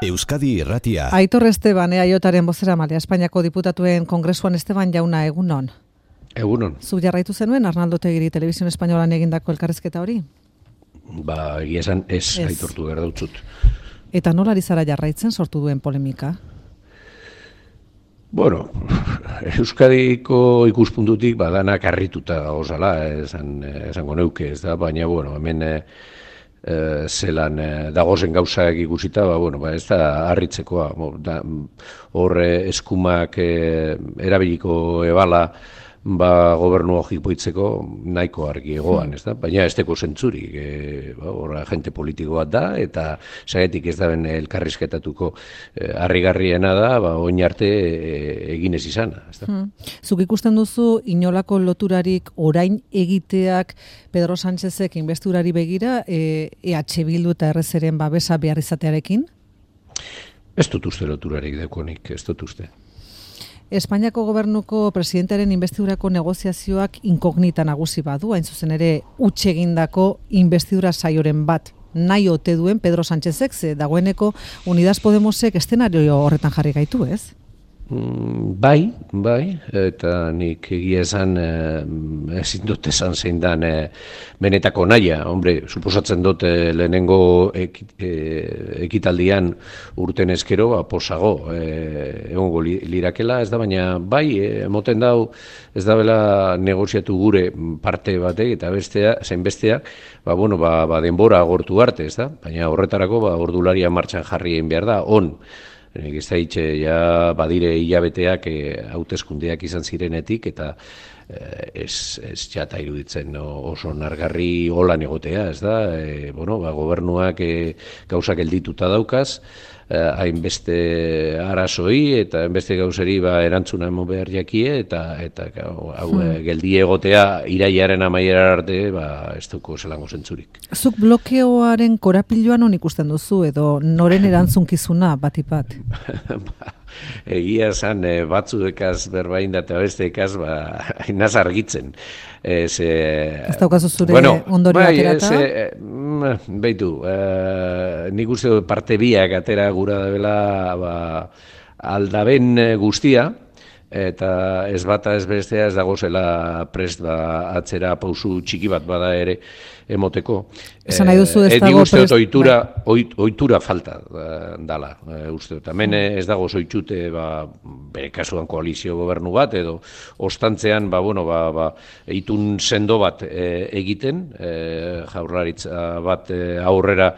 Euskadi Irratia. Aitor Esteban, EAJaren bozeramailea, Espainiako diputatuen kongresuan. Esteban jauna, egunon. Egunon. Zu jarraitu zenuen Arnaldo Otegiri Telebizio Espainolan egindako elkarrizketa hori? Egia esan ez aitortu behar dautzut. Eta nola ari zara jarraitzen sortu duen polemika? Bueno, Euskadiko ikuspuntutik danak harrituta gauzala, esango neuke, ez da, baina, hemen zelan dagozen gauzak ikusita, ez da harritzekoa. Hor eskumak erabiliko ebala gobernu jipoitzeko nahiko argi egoan, ez da? Baina ez teko zentzurik, agente politiko bat da, eta zagetik ez da ben elkarrizketatuko harrigarriena da, oin arte egin ez izana, ez da? Zuk ikusten duzu inolako loturarik orain egiteak Pedro Sánchezek inbestidurari begira, EH Bildu eta RZren babesa behar izatearekin? Ez dut uste loturarik dekonik, ez dut uste. Espainiako gobernuko presidentearen inbestidurako negoziazioak inkognita nagusi badu, hain zuzen ere huts egindako inbestidura saioren bat nahi ote duen Pedro Sánchezek, ze dagoeneko Unidas Podemosek eszenario horretan jarri gaitu, ez? Bai, eta nik egia esan ezin dut esan zein dan benetako nahia. Suposatzen dut lehenengo ekitaldian urten eskero posago egongo lirakela, ez da, baina bai, emoten dau ez da bela negoziatu gure parte batek eta zein besteak, denbora agortu arte, ez da, baina horretarako ordularia martxan jarri egin behar da, Nik ez da hitxe, badire hilabeteak hauteskundeak izan zirenetik, eta ez jata iruditzen oso nargarri holan egotea, ez da? Gobernuak gauzak geldituta daukaz, hainbeste arazoi eta hainbeste gauzeri erantzuna emo behar jakie, eta geldi egotea irailaren amaiera arte ez duko zelango zentzurik. Zuk blokeoaren korapiloan hon ikusten duzu edo noren erantzunkizuna batipat? Egia esan batzuekaz berbain da eta besteekaz hainaz argitzen. Ez daukazu zure ondori aterata? Beitu, nik uste parte biak atera gura dela aldaben guztia, eta ez bata ez bestea ez dagozela prest atzera pausu txiki bat bada ere emoteko. Esan nahi duzu ez dago prest? Ohitura falta dala. Hemen ez dago zoitxute bere kasuan koalizio gobernu bat, edo ostantzean itun sendo bat egiten, jaurlaritza bat aurrera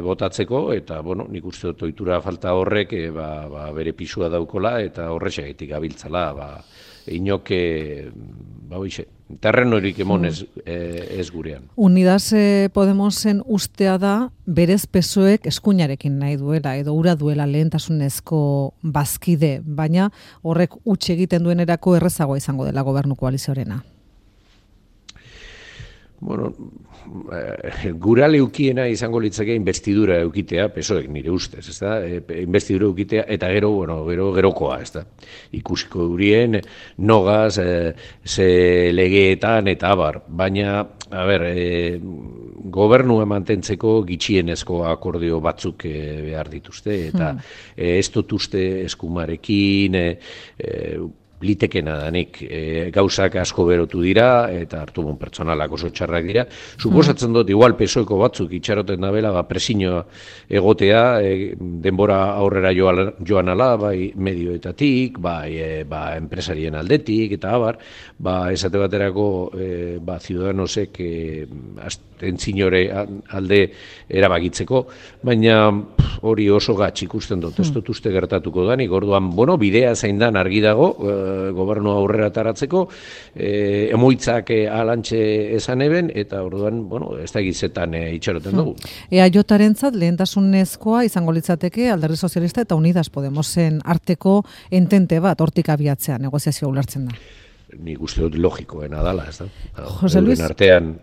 botatzeko, eta nik uste dut ohitura falta horrek bere pisua daukola, eta horrexegatik gabiltzala, inoke, terrenorik emonez ez gurean. Unidas Podemosen ustea da, berez PSOEk eskuinarekin nahi duela, edo ura duela lehentasunezko bazkide, baina horrek huts egiten duenerako errezagoa izango dela gobernu koalizioarena. Gura leukiena izango litzake inbestidura eukitea, PSOEk nire ustez, ez da? Inbestidura eukitea eta gerokoa, ez da? Ikusiko durien, nogaz, ze legeetan eta abar, baina, gobernua mantentzeko gitxienezko akordio batzuk behar dituzte, eta ez dut uste eskumarekin, litekena danik, gauzak asko berotu dira, eta hartu pertsonalak oso txarrak dira. Suposatzen dut, igual PSOEko batzuk itxaroten dabela, presinoa egotea, denbora aurrera joan ala, medioetatik, enpresarien aldetik, eta abar, esate baterako Ciudadanosek entzinore alde erabakitzeko, baina hori oso gatz ikusten dut, ez dut uste gertatuko danik, orduan, bidea zein dan argi dago, gobernua aurrera taratzeko, emoitzak alantxe esan eben, eta orduan, ez da gizetan itxaroten dugu. EAJarentzat lehentasunezkoa izango litzateke Alderdi Sozialista eta Unidas Podemosen arteko entente bat hortik abiatzea negoziazioa ulertzen da. Nik uste dut logikoena dala, ez da? Jose Luis? Artean,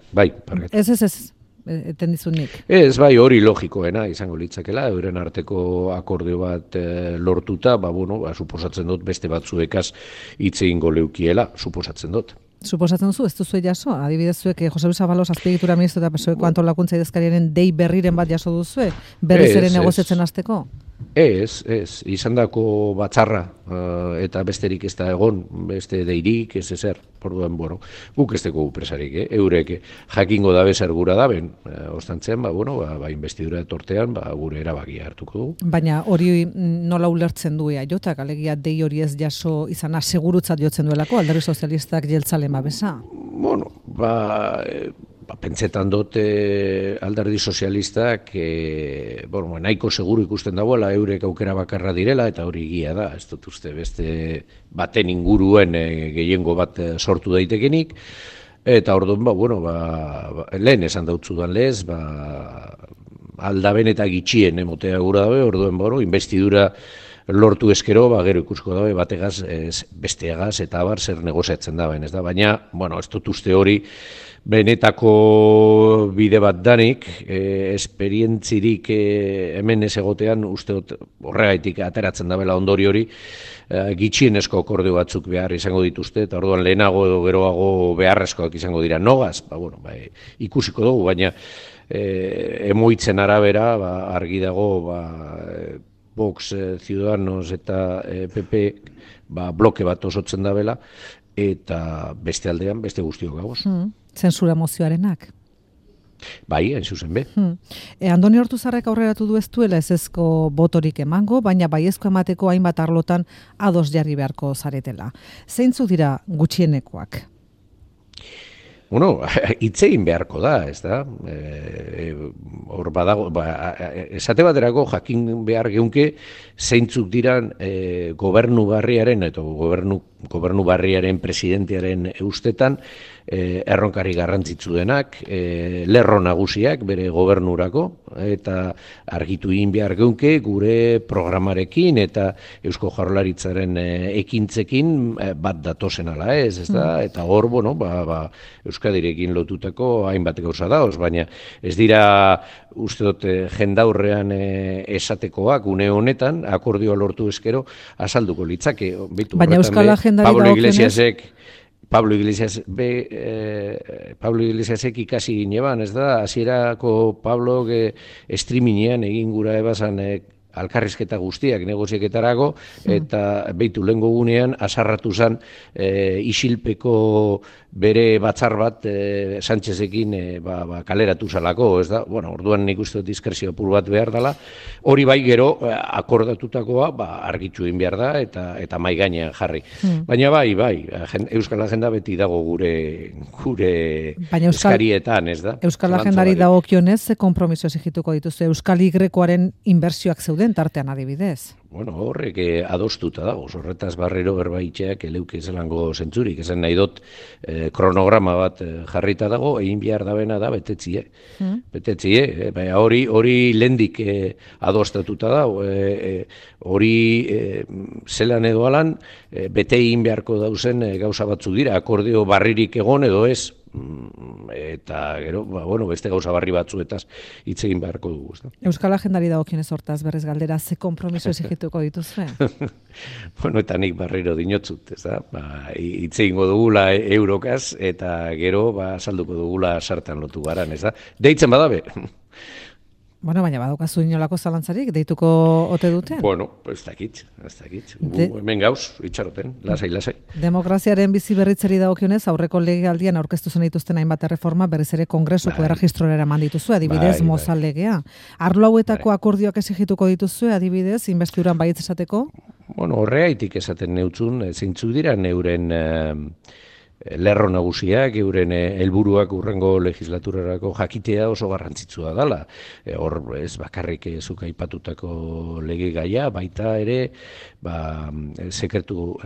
Ez. Etendizunik. Ez, hori logikoena izango litzakela, euren arteko akordio bat lortuta, suposatzen dut beste batzuekaz hitz egingo leukiela, suposatzen dut. Suposatzen duzu, ez duzu jaso? Adibidez zuek, Jose Luis Ábalos azpiegitura ministro eta PSOEko antolakuntza idazkariaren dei berriren bat jaso duzue? Berriz ere negoziatzen hasteko? izandako batzarra eta besterik ez da egon, beste deirik, ez ezer, orduan, guk ez dugu presarik, eurek jakingo dabe zer gura daben, ostantzen, investidura etortean, gure erabakia hartuko dugu. Baina hori nola ulertzen du jotak, alegia dei hori ez jaso izana segurutzat jotzen duelako, Alderdi Sozialistak jeltzale babesa? Pentsetan dut Alderdi Sozialistak nahiko seguru ikusten dagoela eurek aukera bakarra direla, eta hori egia da, ez dut uste beste baten inguruen gehiengo bat sortu daitekenik, eta orduan, lehen esan dautzudan lez, aldaben eta gitxien emotea gura dabe, orduan, investidura lortu eskero, gero ikusko dabe, bategaz, besteagaz, eta abar zer negoziatzen daben, ez da, baina, ez dut uste hori, benetako bide bat danik, esperientzirik hemen ez egotean, uste horregaitik ateratzen dabela ondori hori, gitxienezko akordio batzuk behar izango dituzte, eta orduan lehenago edo geroago beharrezkoak izango dira nogaz, ikusiko dugu, baina emoitzen arabera, argi dago, Vox, Ciudadanos eta PP bloke bat osotzen dabela, eta beste aldean, beste guztiok gagoz. Zentsura mozioarenak? Bai, hain zuzen be. Andoni Ortuzarrek aurreratu du ez duela ezezko botorik emango, baina baiezko emateko hainbat arlotan ados jarri beharko zaretela. Zeintzuk dira gutxienekoak? Hitzein beharko da, ez da? Hor badago, esate baterako jakin behar geunke zeintzuk diran gobernu barriaren eta gobernu barriaren presidentearen ustetan erronkari garrantzitsu denak, lerro nagusiak bere gobernurako, eta argitu egin behar geunke gure programarekin eta Eusko Jaurlaritzaren ekintzekin bat datozen ala ez da? Eta hor, Euskadirekin lotutako hainbat gauza dauz, baina ez dira uste dut jendaurrean esatekoak une honetan, akordioa lortu eskero azalduko litzake. Baina Euskal Agendari dagokionez? Pablo Iglesiasek ikasi gineban, ez da, hasierako Pablo streamingean egin gura ebazan alkarrizketa guztiak negozieketarako, eta lehengo gunean azarratu zen isilpeko bere batzar bat Sánchezekin kaleratu zalako, ez da? Orduan nik uste diskrezio apur bat behar dela, hori bai gero akordatutakoa argitzu egin behar da eta mai gainean jarri. Baina bai, Euskal Agenda beti dago gure eskarietan, ez da? Euskal Agendari dagokionez, ze konpromiso exigituko dituzu Euskal Y-aren inbertsioak zeuden tartean adibidez? Horrek adostuta dago, horretaz barrero berbaitxeak eleuke zelango zentzurik, esan nahi dut kronograma bat jarrita dago, egin behar dabena da betetzie. Hori lendik adostatuta dago, hori zelan edo alan, bete egin beharko dauzen gauza batzu dira, akordio barririk egon edo ez, eta gero, beste gauza barri batzuetaz hitz egin beharko dugu. Euskal Agendari dagokionez hortaz berriz galdera, ze konpromiso exigituko dituzue? Eta nik barriro dinotzut, ez da? Hitz egingo dugula eurokaz, eta gero salduko dugula sartan lotu garan, ez da? Deitzen badabe. Baina badaukazu inolako zalantzarik, deituko ote duten? Ez dakit. Hemen gauz, itxaroten, lasai. Demokraziaren bizi berritzeri dagokionez, aurreko legealdian aurkeztu zen dituzten hainbat erreforma, berriz ere kongresuko erregistrora eraman dituzue, adibidez, Mozal legea. Arlo hauetako akordioak exigituko dituzue, adibidez, investiduran baietz esateko? Horregaitik esaten neutzun, zeintzuk dira neuren lerro nagusiak, euren helburuak urrengo legislaturarako jakitea oso garrantzitsua dela. Hor ez bakarrik zuk aipatutako lege gaia, baita ere sekretu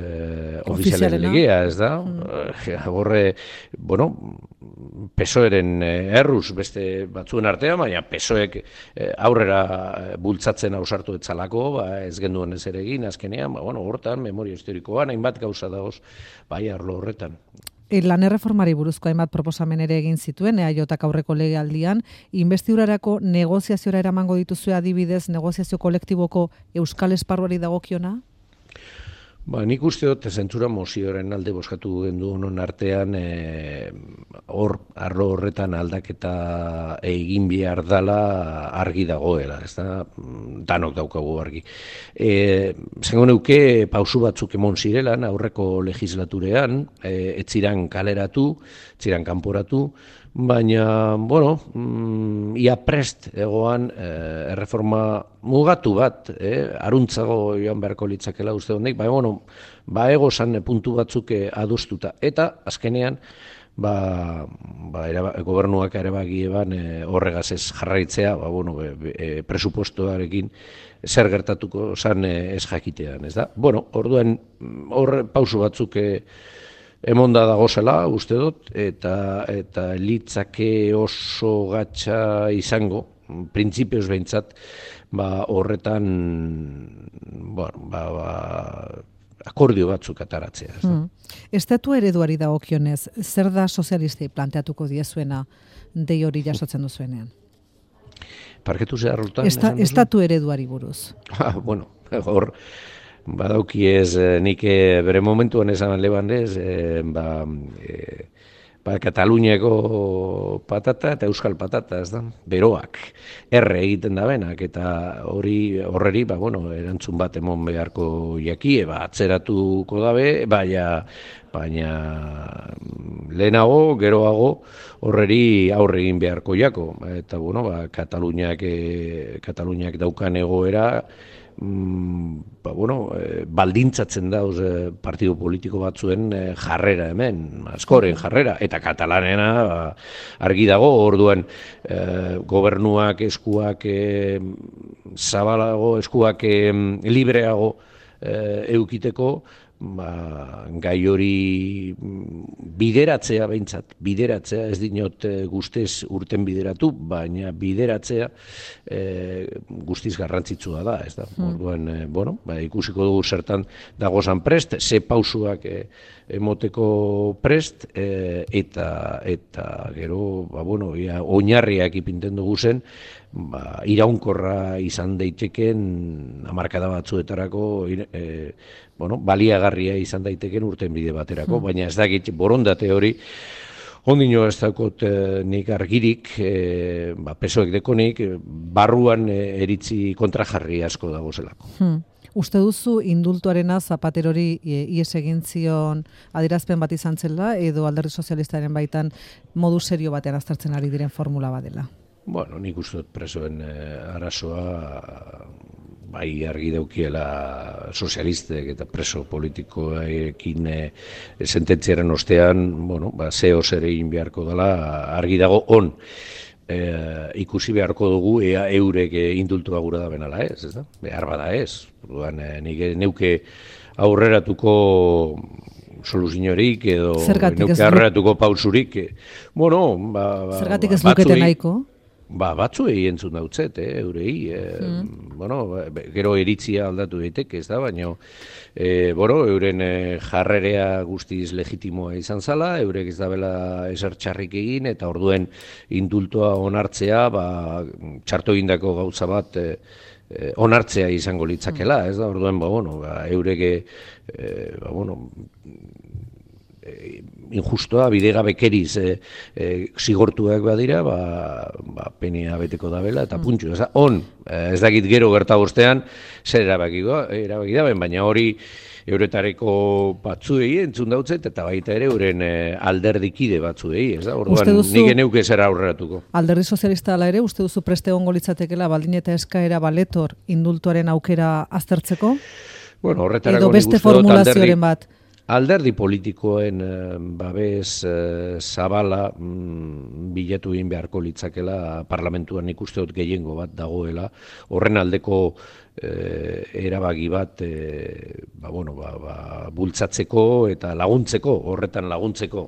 ofizialen legea, ez da? Horre, PSOEren erruz beste batzuen artean, baina PSOEk aurrera bultzatzen ausartu etzalako, ez genduen ez ere egin, azkenean, hortan, memoria historikoan, hainbat gauza dagoz, arlo horretan. Lan erreformari buruzko hainbat proposamen ere egin zituen, EAJak aurreko legealdian, investidurarako negoziaziora eramango dituzue adibidez, negoziazio kolektiboko euskal esparruari dagokiona? Nik uste dut zentzura mozioaren alde bozkatu gendu honon artean arlo horretan aldaketa egin behar dala argi dagoela, ez da, danok daukagu argi. Zengo neuke pausu batzuk emon zirelan aurreko legislaturean, etziran kaleratu, etziran kanporatu, baina, ia prest egoan erreforma mugatu bat, aruntzago joan beharko litzakela uste honek, baina, ego zan puntu batzuk adostuta. Eta, azkenean, gobernuak erabaki eban horregaz ez jarraitzea, presupuestoarekin zer gertatuko zan ez jakitean, ez da? Orduan, horre pausu batzuk emonda dagozela, uste dut, eta litzake oso gatsa izango, printzipioz behintzat, horretan, akordio batzuk ataratzea. Estatu ereduari dagokionez, zer da sozialistei planteatuko diezuena dei hori jasotzen duzuenean? Parketu zeharrotan? Estatu ereduari buruz. Hor, badauki ez, nik bere momentuan esan leban ez, Kataluniako patata eta Euskal patata, ez da, beroak, erre egiten da benak, eta horreri, erantzun bat emon beharko jakie, atzeratuko dabe, baina lehenago, geroago, horreri aurre egin beharko jako, eta Kataluniak daukan egoera, baldintzatzen dauz partido politiko batzuen jarrera hemen, askoren jarrera, eta katalanena argi dago, orduan gobernuak eskuak zabalago, eskuak libreago eukiteko, gai hori bideratzea behintzat, ez dinot guztiz urten bideratu, baina bideratzea guztiz garrantzitsua da, ez da. Orduan, ikusiko dugu zertan dagozan prest, ze pausuak emoteko prest, eta gero, oinarriak ipinten dugu zen, iraunkorra izan daiteken hamarkada batzuetarako baliagarria izan daiteken urten bide baterako, baina ez dakit borondate hori ondino ez dakot nik argirik, pesoek dekonik, barruan eritzi kontrajarri asko dago zelako. Uste duzu indultuarena Zapaterori ies egin zion adierazpen bat izan zela, edo Alderdi Sozialistaren baitan modu serio batean aztertzen ari diren formula badela? Nik uste dut presoen arazoa bai argi daukiela sozialistek eta preso politikoekin sententziaren ostean, zeo zer egin beharko dela, argi dago on. Ikusi beharko dugu ea eurek indultua gura da benala ez, ez da? Behar bada ez. Nik neuke aurreratuko soluziorik edo neuke aurreratuko pausurik. Zergatik ez lukete nahiko? Batzuei entzun dautzet, eurei. Gero iritzia aldatu daiteke, ez da, baina euren jarrerea guztiz legitimoa izan zala, eurek ez dabela eser txarrik egin, eta orduen indultoa onartzea, txarto egindako gauza bat onartzea izango litzakela, ez da, orduen, eurek injustoa, bidegabekeriz zigortuak badira, penia beteko dabela, eta puntxo. Ez dakit gero gerta bostean, zer erabaki daben, baina hori euretareko batzuei entzun dautzet, eta baita ere euren alderdikide batzuei, ez da? Orduan, nik neuke zer aurreratuko. Alderdi Sozialista ala ere, uste duzu preste egongo litzatekela baldin eta eskaera baletor indultuaren aukera aztertzeko? Horretarako edo beste formulazioaren bat? Alderdi politikoen babes zabala bilatu egin beharko litzakela parlamentuan ikuste dut gehiengo bat dagoela, horren aldeko erabaki bat bultzatzeko eta laguntzeko, horretan laguntzeko,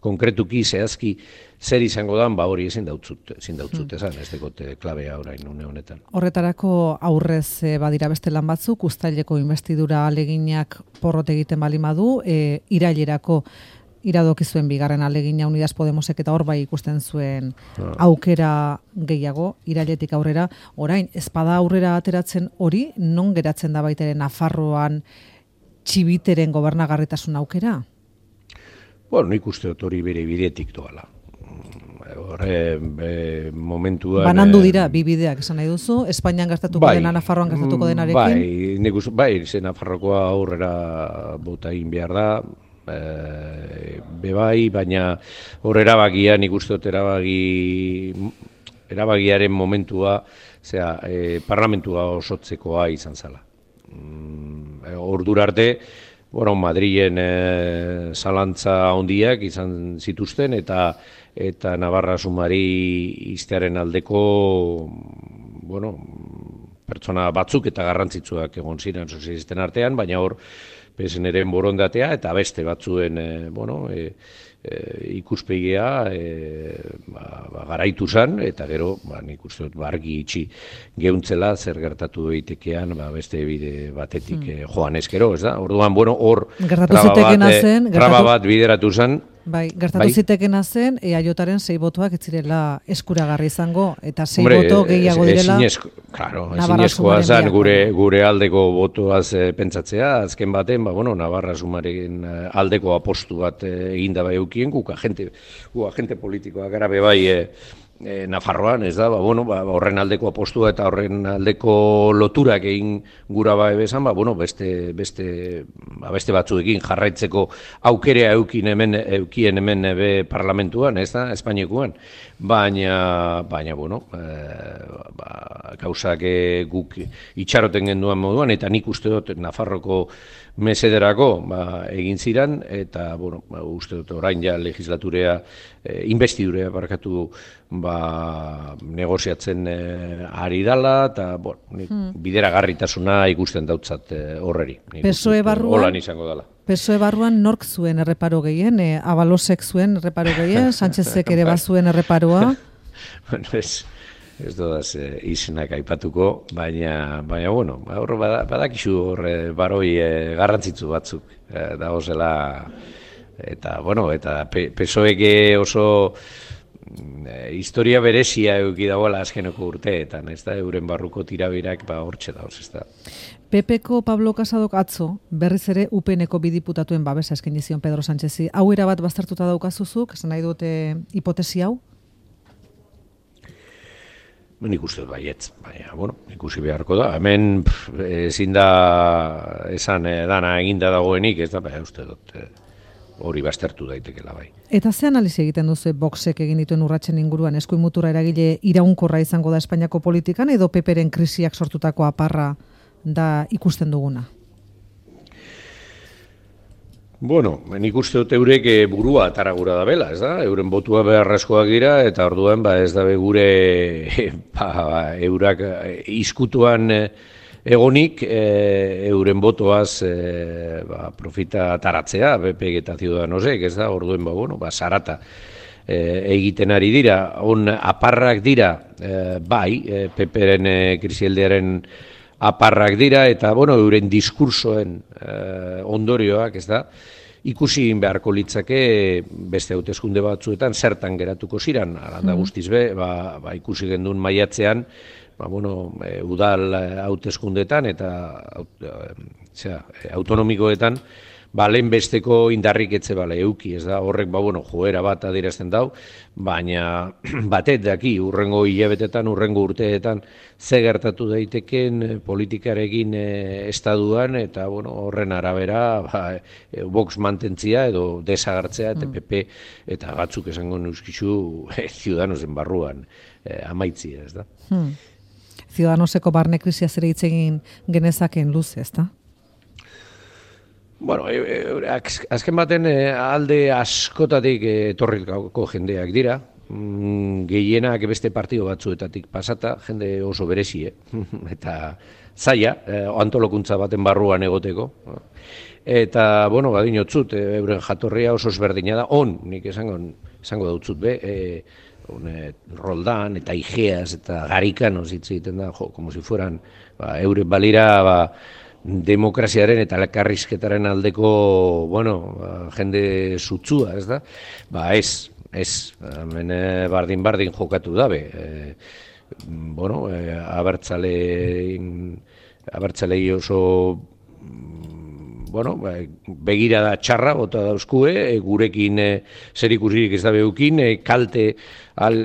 konkretuki zehazki zer izango dan, hori ezin dautzut esan, ez dekote klabea orain une honetan. Horretarako aurrez badira beste lan batzuk, uztaileko investidura aleginak porrot egiten balimadu, irailerako iradokizuen bigarren alegina Unidas Podemosek eta hor bai ikusten zuen aukera gehiago, irailetik aurrera, orain, ezpada aurrera ateratzen hori, non geratzen da baita ere Nafarroan txibiteren gobernagarritasun aukera? Bueno, nik uste dut hori bere bidetik doala. Horre, momentuan... Banandu dira, bi bideak esan nahi duzu, Espainian gertatuko dena, Nafarroan gertatuko denarekin? Bai, nik uste, bai, Nafarrokoa aurrera bota egin behar da, bebai, baina hor erabakia, nik uste dut erabagiaren momentua, parlamentua osotzekoa izan zala. Ordura arte, bueno, Madrilen zalantza handiak izan zituzten, eta Navarra sumari iztearen aldeko, bueno, pertsona batzuk eta garrantzitsuak egon ziren sozialisten artean, baina hor PSN-ren borondatea eta beste batzuen, bueno, ikuspegia garaitu zen, eta gero, nik uste dut, argi itxi geuntzela zer gertatu daitekean beste bide batetik joan ezkero, ez da? Orduan, bueno, hor traba bat bideratu zen. Bai, gertatu zitekena zen, EAJaren 6 botoak ez zirela eskuragarri izango, eta 6 boto gehiago direla. Ezinezkoa zen gure aldeko botoaz pentsatzea, azken baten, bueno, Navarra sumaren aldeko apostu bat eginda bai eukien, guk agente politikoak gara bebai Nafarroan, ez da, bueno, horren aldeko apostua eta horren aldeko loturak egin gura bezan, bueno, beste batzuekin jarraitzeko aukerea eukien hemen parlamentuan, ez da, Espainiakoan, baina, bueno, gauzak guk itxaroten genduan moduan, eta nik uste dut Nafarroko mesederako egin ziren, eta, bueno, uste dut orain ja legislaturea, investidurea barkatu negoziatzen ari dala, eta, bueno, bideragarritasuna ikusten dautzat horreri. PSOE barruan? Holan izango dela. PSOE barruan nork zuen erreparo gehien? Abalosek zuen erreparo gehien? Sánchezek ere bazuen erreparoa? Bueno, ez dodaz izenak aipatuko, baina, bueno, hor badakizu hor baroi garrantzitsu batzuk dagozela, eta, bueno, eta PSOEk oso historia berezia eduki dagoela azkeneko urteetan, ez da, euren barruko tirabirak hortxe dauz, ez da. PPko Pablo Casadok atzo, berriz ere UPNeko bi diputatuen babesa eskaini zion Pedro Sánchezi. Hau erabat baztertuta daukazuzuk, esan nahi dute hipotesi hau? Nik uste dut baietz, baina, bueno, ikusi beharko da. Hemen ezin da esan dana eginda dagoenik, ez da, baina uste dut hori baztertu daitekela bai. Eta ze analizi egiten duzu Voxek egin dituen urratsen inguruan, eskuin mutura eragile iraunkorra izango da Espainiako politikan, edo PPren krisiak sortutako aparra da ikusten duguna? Bueno, nik uste dut eurek burua ataragura da bela, ez da? Euren botua beharrezkoak dira, eta orduan ez da gure eurak izkutuan egonik euren botoaz profita ataratzea, BP eta Ciudadanosek, ez da? Orduen, bueno, sarata egiten ari dira, on aparrak dira, bai, PPren krisialdearen aparrak dira, eta, bueno, euren diskursoen ondorioak, ez da, ikusi beharko litzake beste hauteskunde batzuetan zertan geratuko ziren, alanda guztiz be, ikusi gendun maiatzean, bueno, udal hauteskundetan eta autonomikoetan, lehen besteko indarrik etze euki, ez da, horrek, bueno, joera bat adierazten dau, baina batet daki, urrengo hilabetetan, urrengo urteetan, ze gertatu daiteken politikarekin estaduan, eta, bueno, horren arabera, Vox mantentzia edo desagartzea, eta PP, eta batzuk esango neuskizu, Ciudadanosen barruan amaitzia, ez da. Ciudadanoseko barne krisia zere hitz egin genezaken luze, ez da? Bueno, azken baten alde askotatik etorriko jendeak dira, gehienak beste partido batzuetatik pasata, jende oso berezi, eta zaila, antolokuntza baten barruan egoteko. Eta, bueno, badinotzut, euren jatorria oso ezberdina da, nik esango dautzut be, Roldan eta Igeas eta Garikanos hitz egiten da, como si fueran, euren balira, demokraziaren eta elkarrizketaren aldeko, bueno, jende sutsua, ez da? Ez, hemen bardin jokatu dabe. Bueno, abertzalei oso, begirada txarra bota dauzkue, gurekin zerikusirik ez da beukin, kalte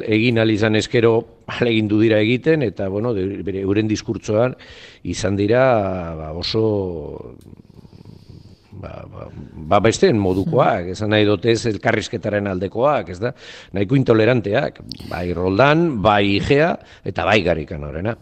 egin izan ezkero ahalegindu dira egiten, eta euren diskurtsoan izan dira oso besteen modukoak, esan nahi dotez elkarrizketaren aldekoak, ez da, nahiko intoleranteak, bai Roldan, bai Igea, eta bai Garikan horrena.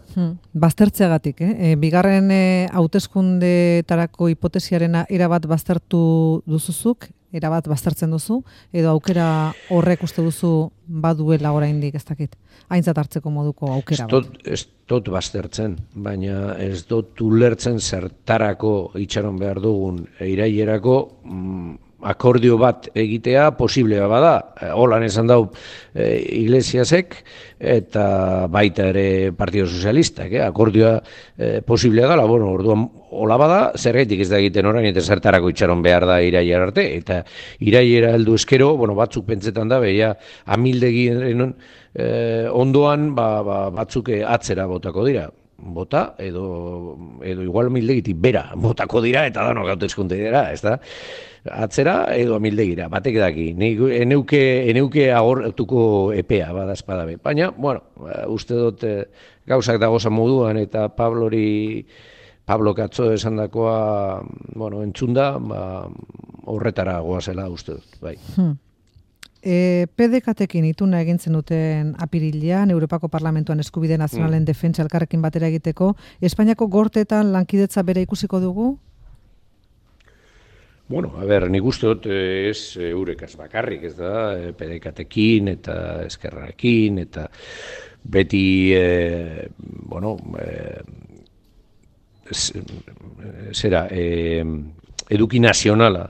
Baztertzeagatik, bigarren hauteskundeetarako hipotesiarena erabat baztertu duzuzuk, erabat baztertzen duzu, edo aukera horrek uste duzu baduela oraindik, ez dakit, aintzat hartzeko moduko aukera bat. Ez dut baztertzen, baina ez dut ulertzen zertarako itxaron behar dugun irailerako akordio bat egitea posiblea bada. Holan esan dau Iglesiasek eta baita ere Partido Sozialistak, akordioa posiblea dela, orduan hola bada, zergaitik ez da egiten orain eta zertarako itxaron behar da irailer arte, eta irailera heldu eskero, batzuk pentsetan da, beha amildegiren ondoan batzuk atzera botako dira. Bota, edo igual amildegitik bera botako dira, eta danok hauteskunde dira, ez da? Atzera edo amildegira, batek daki. Eneuke agortuko epea, badazpada be. Baina, uste dut gauzak dagozan moduan, eta Pablo Katzo esan dakoa, entzunda, horretara goazela uste dut, bai. PDK-tekin ituna egintzen duten apirilean, Europako Parlamentuan eskubide nazionalen defentsa elkarrekin batera egiteko, Espainiako gorteetan lankidetza bere ikusiko dugu? Nik uste dut ez eurekaz bakarrik, ez da, PDK-tekin eta eskerrarekin, eta beti, eduki nazionala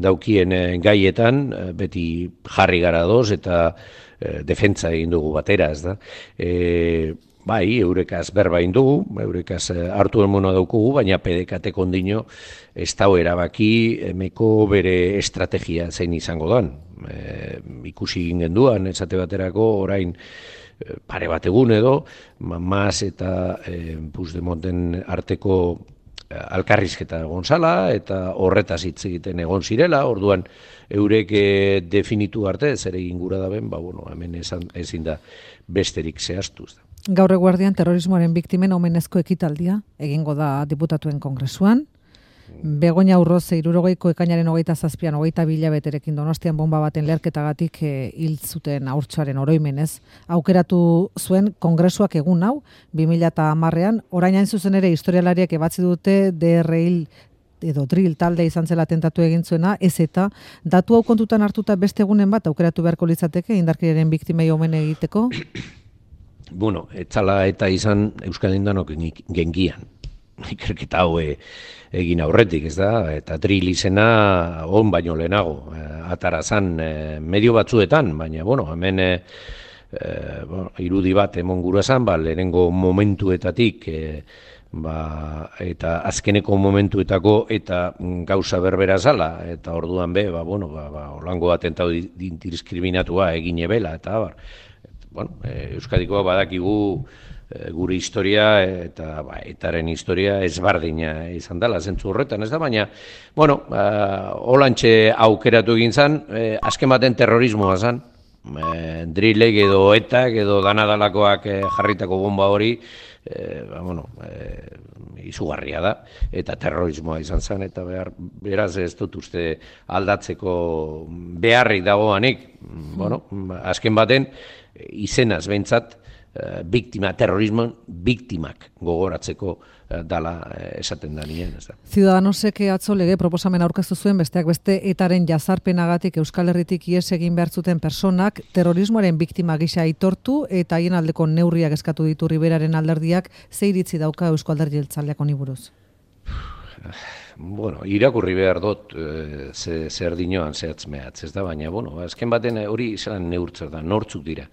daukien gaietan, beti jarri gara doz eta defentsa egin dugu batera, ez da. Bai, eurekaz berba egin dugu, eurekaz hartu emona daukugu, baina PDK kondino ez dau erabaki emeko bere estrategia zein izango dan. Ikusi egin genduan, esate baterako orain pare bat egun edo, Mas eta Puigdemonten arteko alkarrizketa egon zala, eta horretaz hitz egiten egon zirela, orduan eurek definitu arte, zer egin gura da ben, hemen ezin da besterik zehaztu. Gaur eguerdian terrorismoaren biktimen omenezko ekitaldia egingo da diputatuen kongresuan. Begoña Urroze 60ko ekainaren 27an 22 hilabeterekin Donostian bonba baten leherketagatik hil zuten haurtxoaren oroimenez aukeratu zuen kongresuak egun hau 2010ean, orain hain zuzen ere historialariak ebatzi dute DRL edo drill talde izan zela tentatu egin zuena, ez eta datu hau kontutan hartuta beste egunen bat aukeratu beharko litzateke indarkeriaren biktimei omen egiteko? Etzala eta izan Euskal Indanok gengian. Ikerketa hau egin aurretik, ez da, eta drill izena on baino lehenago, atarazan medio batzuetan, baina, hemen irudi bat emon gura zan, lehenengo momentuetatik, eta azkeneko momentuetako eta gauza berbera zala, eta orduan be, holango atentatu diskriminatua egin ebela, eta Euskadikoa badakigu gure historia eta etaren historia ezbardina izan dela, zentzu horretan, ez da, baina, holantxe aukeratu egin zan, azken baten terrorismoa zan, drillek edo etak edo danadalakoak jarritako bomba hori, izugarria da, eta terrorismoa izan zen, eta beraz ez dut uste aldatzeko beharrik dagoanik, azken baten, izenaz behintzat, terrorismoan biktimak gogoratzeko dala esaten da nien. Ciudadanosek atzo lege proposamen aurkeztu zuen besteak beste etaren jazarpenagatik Euskal Herritik ihes egin behar zuten personak terrorismoaren biktima gisa aitortu eta haien aldeko neurriak eskatu ditu Riberaren alderdiak, ze iritzi dauka Eusko Alderdi Jeltzaleak honi buruz? Irakurri behar dut zer dinoan zehatz mehatz, ez da, baina, azken baten hori izan neurtzer da, nortzuk dira.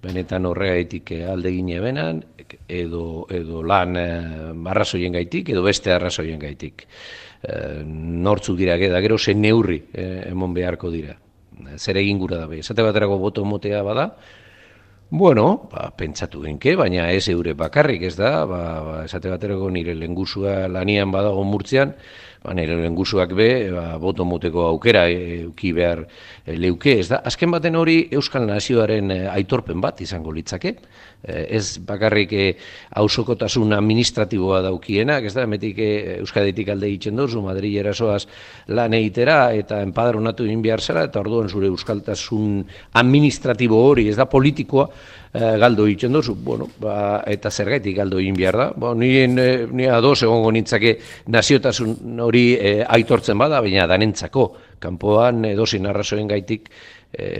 Benetan horregaitik aldegin ebenan, edo lan arrazoien gaitik, edo beste arrazoien gaitik. Nortzuk dira, gero zen neurri emon beharko dira. Zer egin gura da, esate baterako boto motea bada, Bueno, pentsatu genke, baina ez eure bakarrik, ez da, esate baterako nire lehengusua lanian badago Murtzian, nire lehengusuak be, boto moteko aukera euki behar leuke, ez da. Azken baten hori Euskal Nazioaren aitorpen bat izango litzake, ez bakarrik auzokotasun administratiboa daukienak, ez da, emetik Euskaditik alde egiten dozu, Madrid erasoaz lan egitera, eta enpadronatu egin behar zela, eta orduan zure euskaltasun administratibo hori, ez da, politikoa, galdo egiten dozu, bueno, eta zergaitik galdo egin behar da. Ni ados egongo nintzake naziotasun hori aitortzen bada, baina danentzako, kanpoan edozein arrazoen gaitik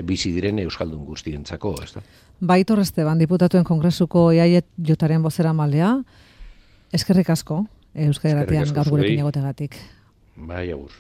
bizi diren euskaldun guztientzako, ez da. Baitor Esteban, diputatuen kongresuko EAJ-aren bozeramalea, eskerrik asko Euskadi Irratian gaur gurekin egoteagatik. Bai, agur.